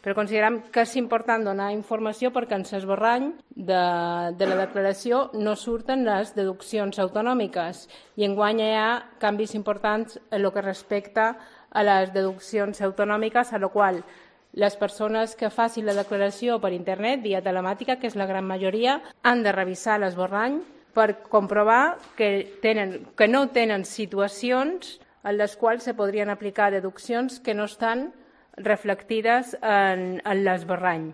Però considerem que és important donar informació perquè en l'esborrany de la declaració no surten les deduccions autonòmiques i enguany hi ha canvis importants en el que respecta a les deduccions autonòmiques, a la qual les persones que facin la declaració per internet, via telemàtica, que és la gran majoria, han de revisar l'esborrany per comprovar que no tenen situacions en les quals se podrien aplicar deduccions que no estan reflectides en l'esborrany.